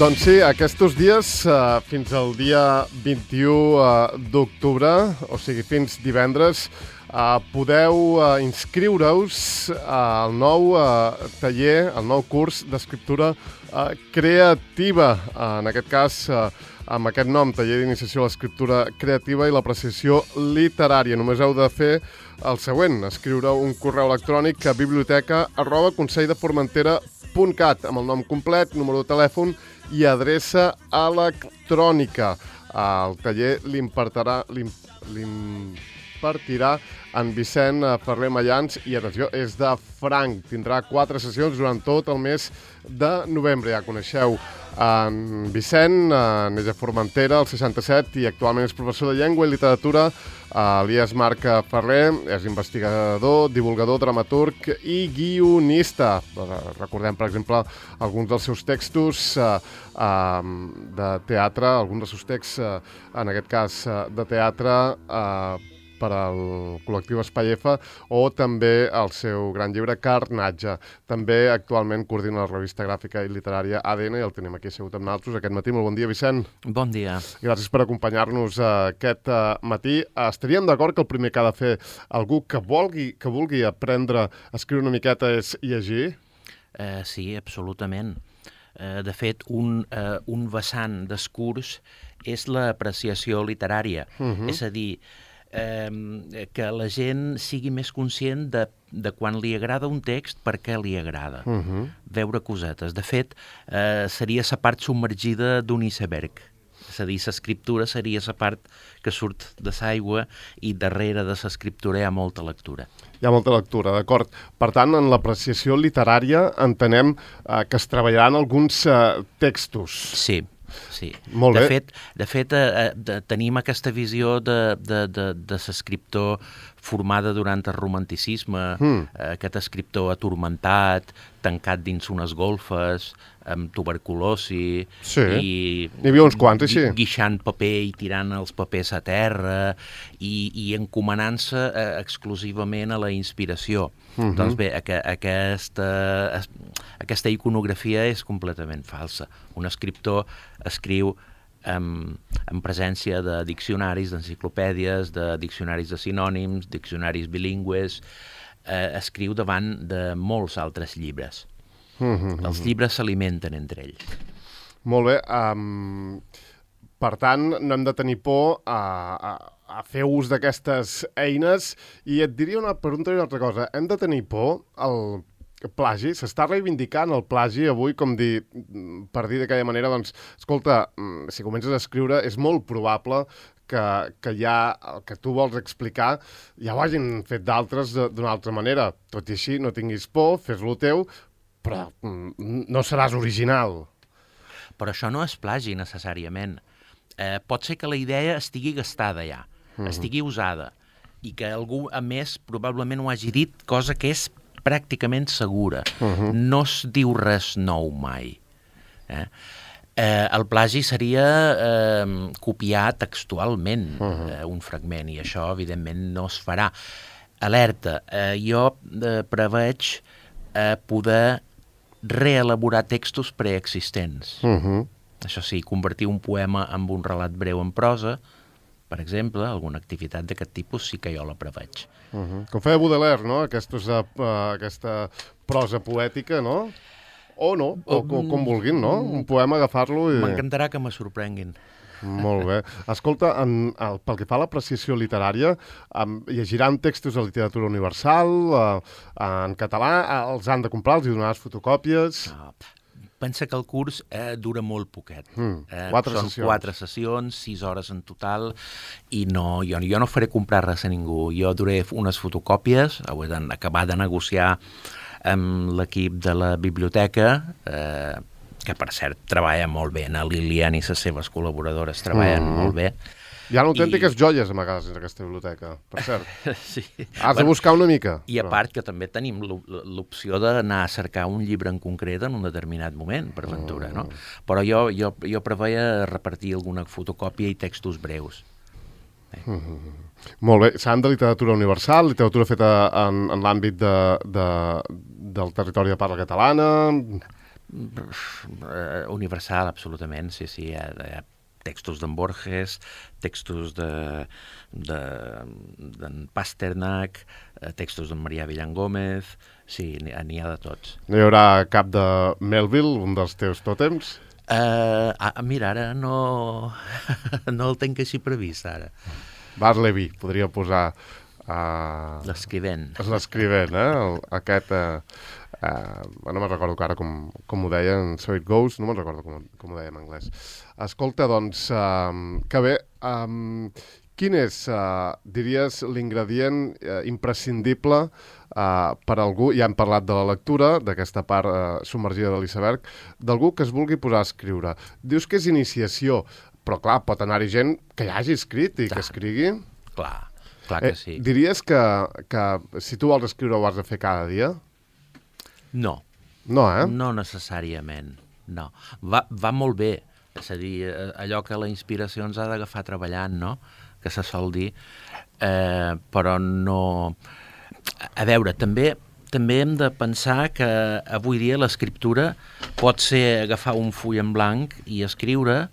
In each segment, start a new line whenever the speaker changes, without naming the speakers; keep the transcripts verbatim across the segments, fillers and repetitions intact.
Doncs sí, aquests dies, eh, fins al dia vint-i-u eh, d'octubre, o sigui, fins divendres, eh, podeu eh, inscriure-us al nou eh, taller, al nou curs d'escriptura eh, creativa. Eh, en aquest cas, eh, amb aquest nom, taller d'iniciació a l'escriptura creativa i l'apreciació literària. Només heu de fer el següent, escriure un correu electrònic a biblioteca arroba conselldeformentera punt cat amb el nom complet, número de telèfon i adreça electrònica. El taller l'impartirà l'impartirà en Vicent Ferrer Mallans i, atenció, és de franc. Tindrà quatre sessions durant tot el mes de novembre. Ja coneixeu en Vicent, neix a Formentera, al seixanta-set, i actualment és professor de llengua i literatura. Elias Marc Ferrer és investigador, divulgador, dramaturg i guionista. Recordem, per exemple, alguns dels seus textos eh, eh, de teatre, alguns dels seus texts, eh, en aquest cas, eh, de teatre, eh, per al col·lectiu Espai F, o també el seu gran llibre Carnatge. També actualment coordina la revista gràfica i literària A D N i el tenim aquí assegut amb nosaltres aquest matí. Molt bon dia, Vicent.
Bon dia.
Gràcies per acompanyar-nos aquest matí. Estaríem d'acord que el primer que ha de fer algú que vulgui, que vulgui aprendre a escriure una miqueta és llegir?
Uh, sí, absolutament. Uh, de fet, un, uh, un vessant d'escurs és l'apreciació literària. Uh-huh. És a dir, Eh, que la gent sigui més conscient de, de quan li agrada un text, per què li agrada. Uh-huh. Veure cosetes. De fet, eh, seria la part submergida d'un iceberg. És a dir, l'escriptura seria la part que surt de l'aigua i darrere de l'escriptura hi ha molta lectura.
Hi ha molta lectura, d'acord. Per tant, en l'apreciació literària entenem eh, que es treballaran alguns eh, textos.
Sí. Sí.
Molt
de
bé.
fet, de fet eh, de, tenim aquesta visió de, de, de, de l'escriptor formada durant el romanticisme, mm. eh, aquest escriptor atormentat, tancat dins unes golfes, amb tuberculosi,
sí.
i
n'hi havia uns quants, així.
Guixant paper i tirant els papers a terra i, i encomanant-se eh, exclusivament a la inspiració. Uh-huh. Doncs bé, aqu aquesta, aquesta iconografia és completament falsa. Un escriptor escriu en, en presència de diccionaris, d'enciclopèdies, de diccionaris de sinònims, diccionaris bilingües, eh, escriu davant de molts altres llibres. Uh-huh. Els llibres s'alimenten entre ells.
Molt bé. Um, per tant, no hem de tenir por a... a... a fer ús d'aquestes eines, i et diria una pregunta i una altra cosa. Hem de tenir por al plagi? S'està reivindicant el plagi avui, com dir, per dir d'aquella manera, doncs, escolta, si comences a escriure, és molt probable que, que ja el que tu vols explicar ja ho hagin fet d'altres d'una altra manera. Tot i així, no tinguis por, fes-lo teu, però no seràs original.
Però això no és plagi, necessàriament. Eh, pot ser que la idea estigui gastada ja, uh-huh. estigui usada, i que algú, a més, probablement ho hagi dit, cosa que és pràcticament segura. Uh-huh. No es diu res nou mai. Eh? Eh, el plagi seria eh, copiar textualment uh-huh. eh, un fragment, i això, evidentment, no es farà. Alerta, eh, jo eh, preveig eh, poder reelaborar textos preexistents. Uh-huh. Això sí, convertir un poema en un relat breu en prosa, per exemple, alguna activitat d'aquest tipus sí que jo la preveig.
Uh-huh. Com feia Baudelaire, no? Aquesta, uh, aquesta prosa poètica, no? O no, o, o com vulguin, no? Un poema, agafar-lo i...
M'encantarà que me sorprenguin.
Molt bé. Escolta, en, el, pel que fa a l'apreciació literària, um, llegiran textos de literatura universal, uh, en català, uh, els han de comprar, els hi donaràs fotocòpies...
No. Pensa que el curs eh, dura molt poquet. Mm, eh,
quatre
són
sessions.
quatre sessions, sis hores en total, i no, jo, jo no faré comprar res a ningú. Jo duré unes fotocòpies, ho he d'acabar de negociar amb l'equip de la biblioteca, eh, que per cert treballa molt bé, la Lilian i les seves col·laboradores treballen mm. molt bé.
Hi ha autèntiques I... joies a vegades en aquesta biblioteca, per cert.
Sí.
Has bueno, de buscar una mica.
I a part que també tenim l'opció d'anar a cercar un llibre en concret en un determinat moment, per ventura, no? Però jo, jo, jo preveia repartir alguna fotocòpia i textos breus. Eh?
Mm-hmm. Molt bé. S'han de literatura universal, literatura feta en, en l'àmbit de, de, del territori de parla catalana...
Universal, absolutament, sí, sí. Hi ha, hi ha textos d'en Borges, textos de, de, d'en Pasternak, textos d'en Marià Villan Gómez, sí, n'hi ha, n'hi ha de tots.
No hi haurà cap de Melville, un dels teus tòtems?
Uh, ah, mira, ara no, no el tenc així previst, ara.
Bartleby, podria posar... Uh,
l'escrivent.
L'escrivent, eh? El, aquest... Uh, uh, no me'n recordo ara com, com ho deien, So It Goes, no me'n recordo com, com ho deia en anglès. Escolta, doncs, uh, que bé, um, quin és, uh, diries, l'ingredient uh, imprescindible uh, per algú, ja hem parlat de la lectura, d'aquesta part uh, submergida de l'iceberg, d'algú que es vulgui posar a escriure. Dius que és iniciació, però clar, pot anar-hi gent que ja hagi escrit i clar, que escrigui.
Clar, clar que sí.
Eh, diries que, que si tu vols escriure ho has de fer cada dia?
No.
No, eh?
No necessàriament, no. Va, va molt bé, és a dir, allò que la inspiració ens ha d'agafar treballant, no?, que se sol dir, eh, però no... A veure, també... També hem de pensar que avui dia l'escriptura pot ser agafar un full en blanc i escriure,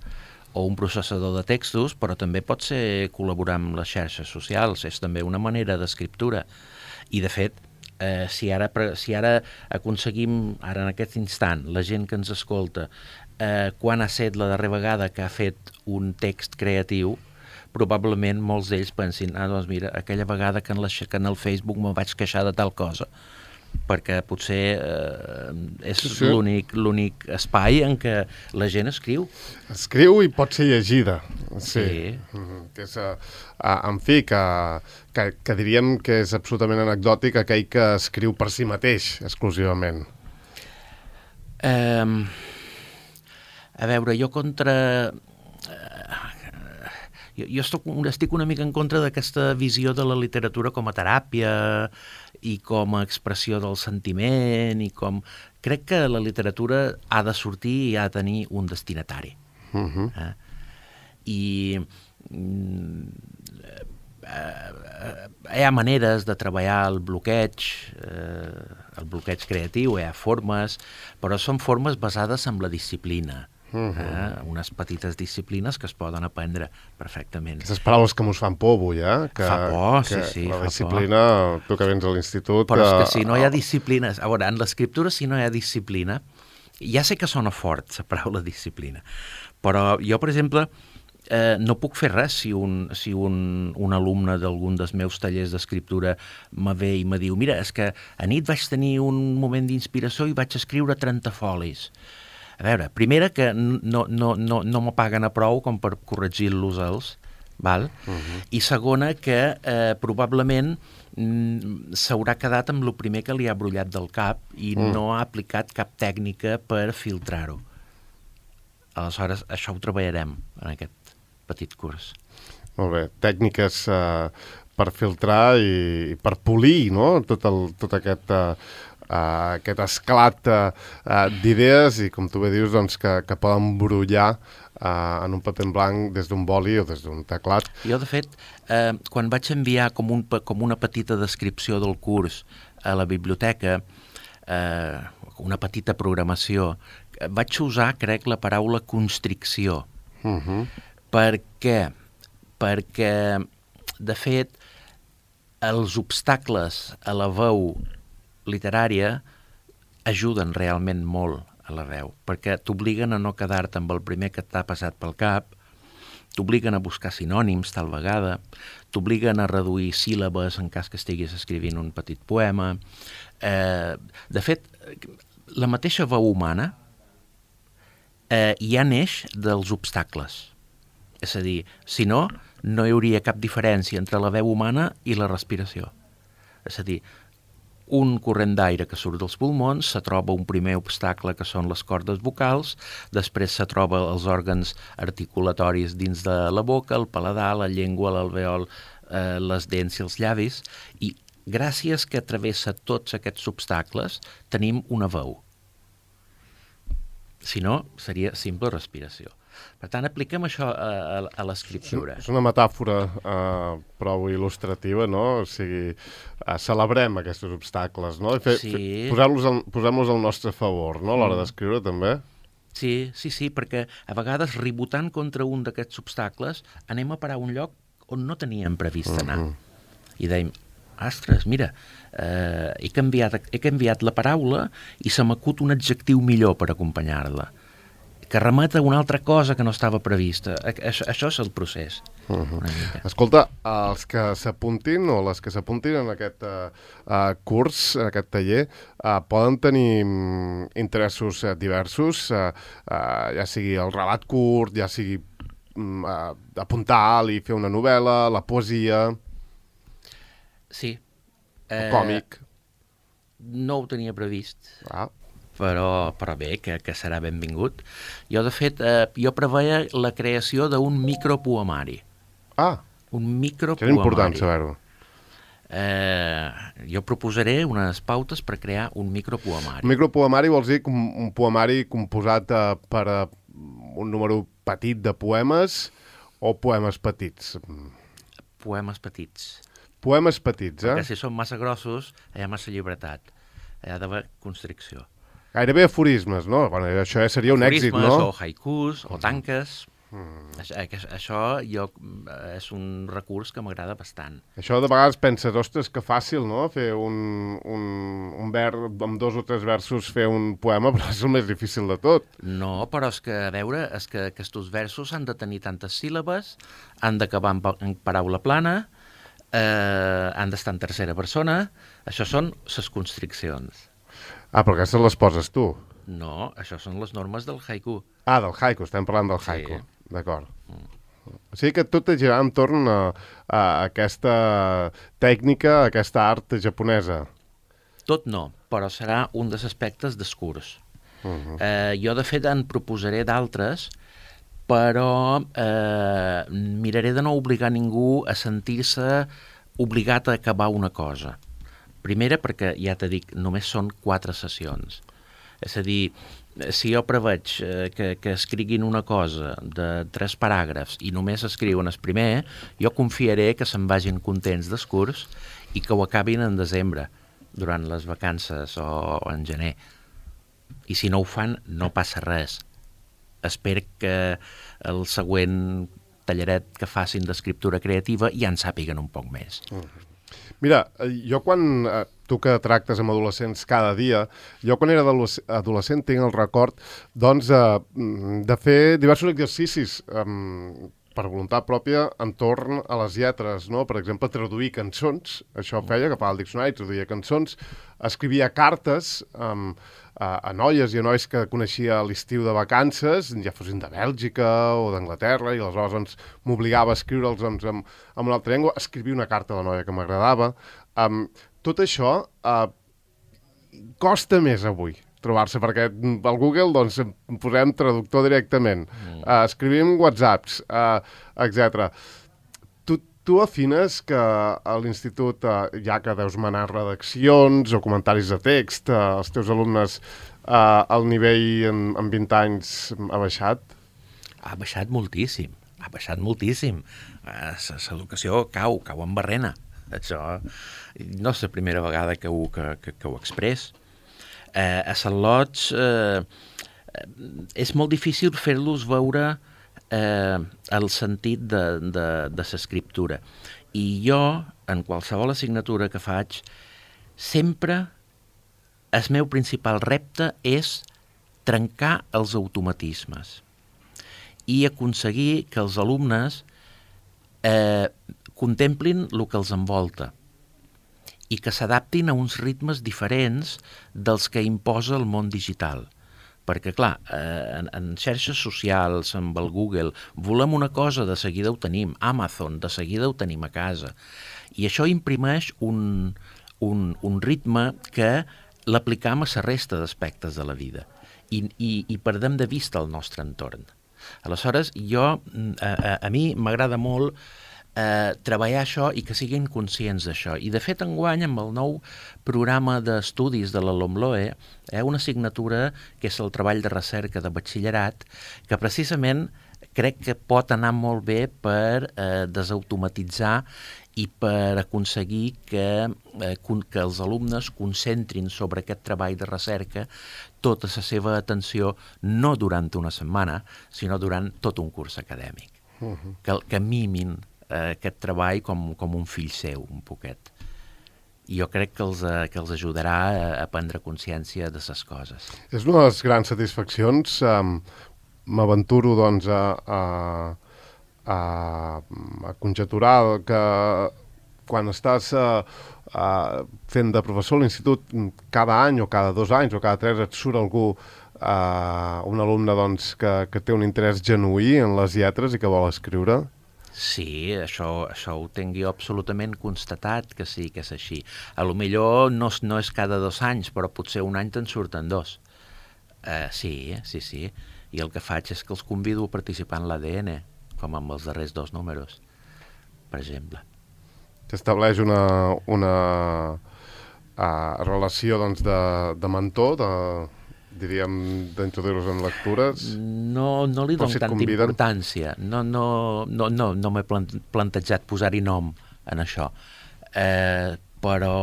o un processador de textos, però també pot ser col·laborar amb les xarxes socials, és també una manera d'escriptura. I, de fet, eh, si, ara, si ara aconseguim, ara en aquest instant, la gent que ens escolta, eh, quan ha set la darrera vegada que ha fet un text creatiu, probablement molts d'ells pensin, ah, doncs mira, aquella vegada que en, la, que en el Facebook me vaig queixar de tal cosa, perquè potser eh, és sí, sí. l'únic l'únic espai en què la gent escriu.
Escriu i pot ser llegida. Sí.
Sí.
Mm-hmm. Que és, uh, en fi, que, que, que diríem que és absolutament anecdòtic aquell que escriu per si mateix, exclusivament.
Um, a veure, jo contra... Uh, jo jo estic, estic una mica en contra d'aquesta visió de la literatura com a teràpia i com a expressió del sentiment i com... Crec que la literatura ha de sortir i ha de tenir un destinatari. Uh-huh. Eh? I mm, eh, hi ha maneres de treballar el bloqueig, eh, el bloqueig creatiu, hi ha formes, però són formes basades en la disciplina. Uh-huh. eh? Unes petites disciplines que es poden aprendre perfectament.
Aquestes paraules que mos fan por avui, eh? Que,
fa por,
que
sí, sí.
La
fa
disciplina,
por.
Tu que vens a l'institut...
Però és que si no hi ha disciplina... A veure, en l'escriptura, si no hi ha disciplina, ja sé que sona fort, la paraula disciplina, però jo, per exemple, eh, no puc fer res si un, si un, un alumne d'algun dels meus tallers d'escriptura me ve i me diu, mira, és que a nit vaig tenir un moment d'inspiració i vaig escriure trenta folis. A veure, primera, que no, no, no, no me paguen a prou com per corregir-los els, val? Uh-huh. I segona, que eh, probablement mm, s'haurà quedat amb el primer que li ha brollat del cap i uh-huh. no ha aplicat cap tècnica per filtrar-ho. Aleshores, això ho treballarem en aquest petit curs.
Molt bé, tècniques eh, per filtrar i, i per polir, no?, tot, el, tot aquest... Eh, Uh, aquest esclat uh, uh, d'idees i, com tu bé dius, doncs, que, que poden brollar uh, en un paper en blanc des d'un boli o des d'un teclat.
Jo, de fet, eh, quan vaig enviar com, un, com una petita descripció del curs a la biblioteca, eh, una petita programació, vaig usar, crec, la paraula constricció. Uh-huh. Per què? Perquè, de fet, els obstacles a la veu literària ajuden realment molt a la veu, perquè t'obliguen a no quedar-te amb el primer que t'ha passat pel cap, t'obliguen a buscar sinònims tal vegada, t'obliguen a reduir síl·labes en cas que estiguis escrivint un petit poema. Eh, de fet, la mateixa veu humana eh, ja neix dels obstacles. És a dir, si no, no hi hauria cap diferència entre la veu humana i la respiració. És a dir, un corrent d'aire que surt dels pulmons, se troba un primer obstacle que són les cordes vocals, després se troba els òrgans articulatoris dins de la boca, el paladar, la llengua, l'alveol, eh, les dents i els llavis, i gràcies que travessa tots aquests obstacles tenim una veu. Si no, seria simple respiració. Per tant, apliquem això a, a, a l'escriptura.
És una metàfora uh, prou il·lustrativa, no? O sigui, uh, celebrem aquests obstacles, no? I fe,
Sí.
fe, posem-los al, posem-los al nostre favor, no? A l'hora d'escriure, també.
Sí, sí, sí, perquè a vegades ribotant contra un d'aquests obstacles anem a parar a un lloc on no teníem previst anar. Uh-huh. I dèiem, ostres, mira, eh, he, canviat, he canviat la paraula i se m'acut un adjectiu millor per acompanyar-la, que remet a una altra cosa que no estava prevista. Això, això és el procés.
Uh-huh. Escolta, els que s'apuntin o les que s'apuntin en aquest uh, uh, curs, en aquest taller, uh, poden tenir um, interessos uh, diversos, uh, uh, ja sigui el relat curt, ja sigui um, uh, apuntar alt i fer una novel·la, la poesia...
Sí.
El eh, còmic.
No ho tenia previst,
ah.
però, però bé, que, que serà benvingut. Jo, de fet, eh, jo preveia la creació d'un micropoemari.
Ah,
un micropoemari.
és important saber-ho.
Eh, jo proposaré unes pautes per crear un micropoemari.
Un micropoemari vols dir un, un poemari composat uh, per uh, un número petit de poemes o poemes petits?
Poemes petits.
Poemes petits, eh?
Perquè si són massa grossos, hi ha massa llibertat. Hi ha d'haver constricció.
Gairebé aforismes, no? Bueno, això ja seria un
aforismes,
èxit, no?
O haikus, o tanques. Mm. Això, això jo, és un recurs que m'agrada bastant.
Això de vegades penses, ostres, que fàcil, no? Fer un, un, un ver, amb dos o tres versos fer un poema, però és el més difícil de tot.
No, però és que, a veure, és que aquests versos han de tenir tantes síl·labes, han d'acabar en, en paraula plana, eh, han d'estar en tercera persona. Això són les constriccions.
Ah, però aquestes les poses tu.
No, això són les normes del haiku.
Ah, del haiku, estem parlant del haiku.
Sí.
D'acord. Mm. O sigui que tot és girar entorn a, a aquesta tècnica, a aquesta art japonesa.
Tot no, però serà un dels aspectes del curs. Uh-huh. eh, jo, de fet, en proposaré d'altres, però eh, miraré de no obligar ningú a sentir-se obligat a acabar una cosa. Primera, perquè, ja t'he dit, només són quatre sessions. És a dir, si jo preveig eh, que, que escriguin una cosa de tres paràgrafs i només escriuen el primer, jo confiaré que se'n vagin contents del curs i que ho acabin en desembre, durant les vacances o, o en gener. I si no ho fan, no passa res. Espero que el següent tallaret que facin d'escriptura creativa ja en sàpiguen un poc més.
Mm. Mira, jo quan, tu que tractes amb adolescents cada dia, jo quan era adolescent tinc el record doncs, de fer diversos exercicis um, per voluntat pròpia entorn a les lletres, no? Per exemple, traduir cançons, això feia, agafava el diccionari, traduïa cançons, escrivia cartes um, a, a noies i a nois que coneixia a l'estiu de vacances, ja fossin de Bèlgica o d'Anglaterra, i aleshores doncs, m'obligava a escriure'ls doncs, en, en una altra llengua, escrivia una carta a la noia que m'agradava. Um, tot això uh, costa més avui trobar-se, perquè al Google doncs, posem traductor directament, mm. uh, escrivim whatsapps, uh, etcètera. Tu, tu afines que a l'institut, uh, ja que deus manar redaccions o comentaris de text, uh, els teus alumnes, uh, el nivell en, en vint anys ha baixat?
Ha baixat moltíssim, ha baixat moltíssim. L'educació cau, cau en barrena. Això no és la primera vegada que ho, que, que, que ho express. Eh, a Sant Lots eh, és molt difícil fer-los veure eh, el sentit de, de, de l'escriptura. I jo, en qualsevol assignatura que faig, sempre el meu principal repte és trencar els automatismes i aconseguir que els alumnes eh, contemplin el que els envolta i que s'adaptin a uns ritmes diferents dels que imposa el món digital. Perquè, clar, eh, en, en xarxes socials, amb el Google, volem una cosa, de seguida ho tenim. Amazon, de seguida ho tenim a casa. I això imprimeix un, un, un ritme que l'aplicam a la resta d'aspectes de la vida. I, i, i perdem de vista el nostre entorn. Aleshores, jo, a, a, a mi m'agrada molt Eh, treballar això i que siguin conscients d'això. I, de fet, enguany, amb el nou programa d'estudis de la LOMLOE, hi ha una assignatura que és el treball de recerca de batxillerat, que precisament crec que pot anar molt bé per eh, desautomatitzar i per aconseguir que, eh, que els alumnes concentrin sobre aquest treball de recerca tota la seva atenció, no durant una setmana, sinó durant tot un curs acadèmic. Uh-huh. Que, que mimin eh, aquest treball com, com un fill seu, un poquet. I jo crec que els, eh, que els ajudarà a, a prendre consciència de les coses.
És una de les grans satisfaccions. Um, m'aventuro, doncs, a... a... a, a conjecturar que quan estàs uh, uh, fent de professor a l'institut cada any o cada dos anys o cada tres et surt algú, uh, un alumne doncs, que, que té un interès genuí en les lletres i que vol escriure?
Sí, això, això ho tinc jo absolutament constatat que sí, que és així. A lo millor no, no és cada dos anys, però potser un any te'n surten dos. Uh, sí, sí, sí. I el que faig és que els convido a participar en l'A D N, com amb els darrers dos números, per exemple.
S'estableix una, una uh, relació doncs, de, de mentor, de, diríem, d'introduir-los en lectures?
No, no li dono
si
tanta
conviden...
importància. No, no, no, no, no m'he plantejat posar-hi nom en això. Eh, però,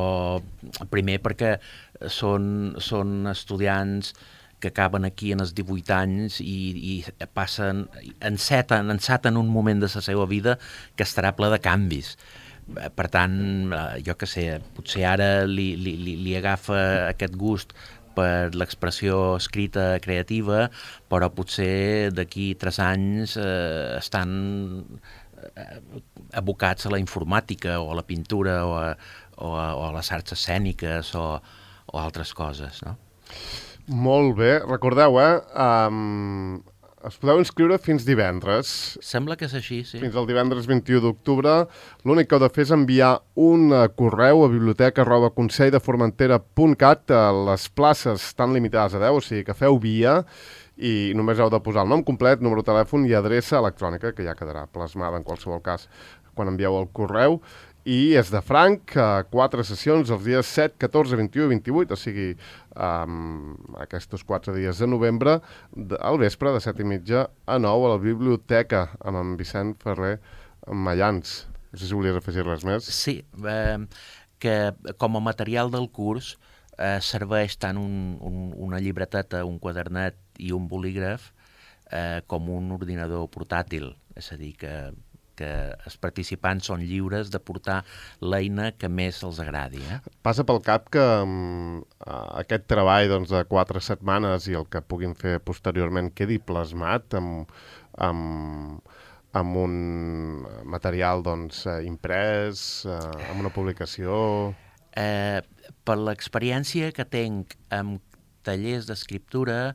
primer, perquè són, són estudiants que acaben aquí en els divuit anys i, i passen, enceten, enceten un moment de la seva vida que estarà ple de canvis. Per tant, jo què sé, potser ara li, li, li agafa aquest gust per l'expressió escrita creativa, però potser d'aquí tres anys eh, estan abocats a la informàtica o a la pintura o a, o a, o a les arts escèniques o, o altres coses, no?
Molt bé. Recordeu, eh? Um, es podeu inscriure fins divendres.
Sembla que és així, sí.
Fins al divendres vint-i-u d'octubre. L'únic que heu de fer és enviar un uh, correu a biblioteca arroba consell de formentera punt cat. Les places estan limitades a deu, o sigui que feu via i només heu de posar el nom complet, número de telèfon i adreça electrònica, que ja quedarà plasmada en qualsevol cas quan envieu el correu. I és de franc, uh, quatre sessions els dies set, catorze, vint-i-u i vint-i-vuit, o sigui, um, aquests quatre dies de novembre, de, al vespre, de set i mitja a nou, a la biblioteca, amb en Vicent Ferrer Mayans. No sé si volies afegir res més.
Sí, eh, que com a material del curs eh, serveix tant un, un, una llibreteta, un quadernet i un bolígraf eh, com un ordinador portàtil, és a dir, que que els participants són lliures de portar l'eina que més els agradi. Eh?
Passa pel cap que um, aquest treball doncs, de quatre setmanes i el que puguin fer posteriorment quedi plasmat amb, amb, amb un material doncs, imprès, uh, amb una publicació...
Eh, per l'experiència que tinc amb tallers d'escriptura,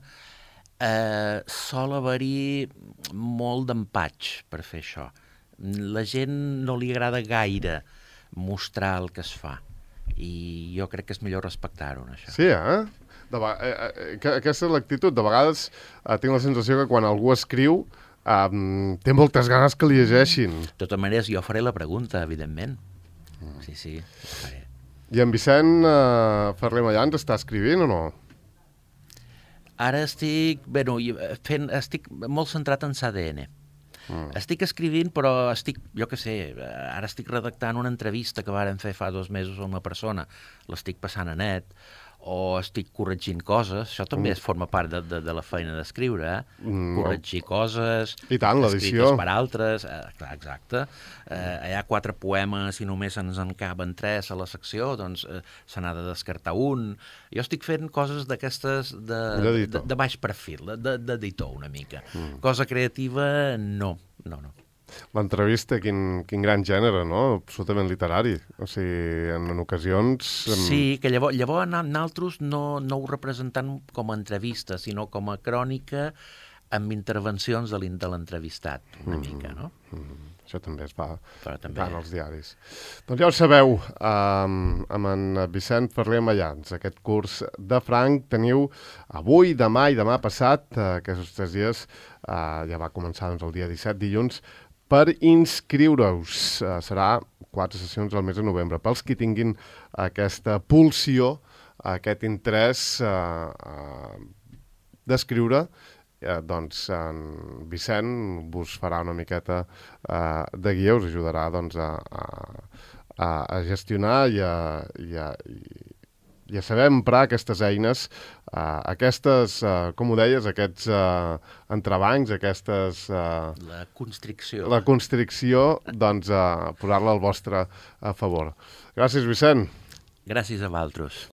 eh, sol haver-hi molt d'empatx per fer això. La gent no li agrada gaire mostrar el que es fa i jo crec que és millor respectar-ho, això.
Sí, eh? De va... eh, eh, aquesta és l'actitud. De vegades eh, tinc la sensació que quan algú escriu eh, té moltes ganes que li llegeixin.
De totes maneres, jo faré la pregunta, evidentment. Mm. Sí, sí, ho faré.
I en Vicent eh, Ferrer Mayans està escrivint o no?
Ara estic, bueno, fent, estic molt centrat en l'A D N. Mm. Estic escrivint, però estic, jo què sé, ara estic redactant una entrevista que vàrem fer fa dos mesos a una persona, l'estic passant a net, o estic corregint coses, això també mm. forma part de, de, de la feina d'escriure, eh? Mm. Corregir coses,
i tant,
escrites per altres, eh, clar, exacte. Eh, hi ha quatre poemes i només ens en caben tres a la secció, doncs eh, se n'ha de descartar un. Jo estic fent coses d'aquestes de, de, de baix perfil, d'editor una mica. Mm. Cosa creativa, no, no, no.
L'entrevista, quin, quin gran gènere, no? Absolutament literari. O sigui, en, en ocasions... En...
Sí, que llavors, llavors nosaltres no, no ho representem com a entrevista, sinó com a crònica amb intervencions de l'entrevistat, una mm -hmm. mica, no?
Mm -hmm. Això també es fa
també...
en els diaris. Doncs ja ho sabeu, um, amb en Vicent Ferrer Mayans, aquest curs de franc teniu avui, demà i demà passat, uh, aquests tres dies, uh, ja va començar doncs, el dia disset, dilluns, per inscriure-us. Uh, serà quatre sessions al mes de novembre. Pels qui tinguin aquesta pulsió, aquest interès uh, uh, d'escriure eh, doncs en Vicent vos farà una miqueta eh, de guia, us ajudarà doncs, a, a, a gestionar i a, i a, i a saber emprar aquestes eines, uh, aquestes, uh, com ho deies, aquests uh, entrebancs, aquestes... Uh,
la constricció.
La constricció, doncs, uh, posar-la al vostre a favor. Gràcies, Vicent.
Gràcies a vosaltres.